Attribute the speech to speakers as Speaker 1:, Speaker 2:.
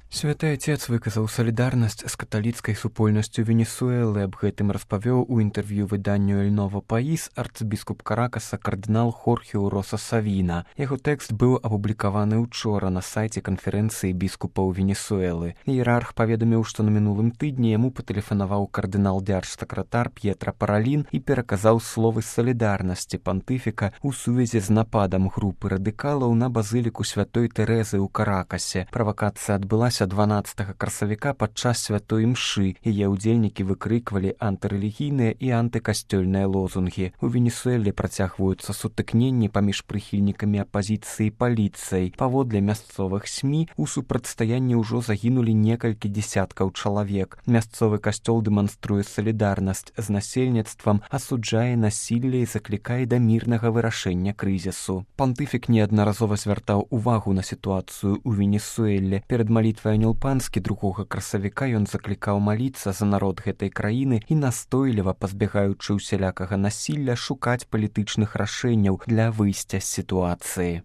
Speaker 1: Святы Отец выказаў салідарнасць з каталіцкай супольнасцю Венесуэлы. Аб гэтым распавёў у інтэрв'ю выданню «Эль Ново Паís» арцыбіскуп Каракаса кардынал Хорхе Уроса Савіна. Яго тэкст быў апублікаваны ўчора на сайце канферэнцыі біскупаў Венесуэлы. Іерарх паведаміў, што на мінулым тыдні яму патэлефанаваў кардынал-дзярж-сакратар П'етра Паралін і пераказаў словы салідарнасці пантыфіка ў сувязі з нападам групы радыкалаў на базыліку святой Тэрэзы ў Каракасе. Правакацыя адбылася 12 красавіка падчас святой імшы. Яе ўдзельнікі выкрыквалі антырэлігійныя і антыкасцёльныя лозунгі. У Венесуэле працягваюцца сутыкненні паміж прыхільнікамі апазіцыі і паліцыяй. Паводле мясцовых СМІ у супрацьстаянні ўжо загінулі некалькі дзесяткаў чалавек. Мясцовы касцёл дэманструе салідарнасць з насельніцтвам, асуджае насілле і заклікае да мірнага вырашэння крызісу. Пантыфік неаднаразова звяртаў увагу на сітуацыю ў Венесуэле. Перад малітвай Анёл Панскі 2 красавіка ён заклікаў маліцца за народ гэтай краіны і настойліва, пазбягаючы ўсялякага насілля, шукаць палітычных рашэнняў для выйсця з сітуацыі.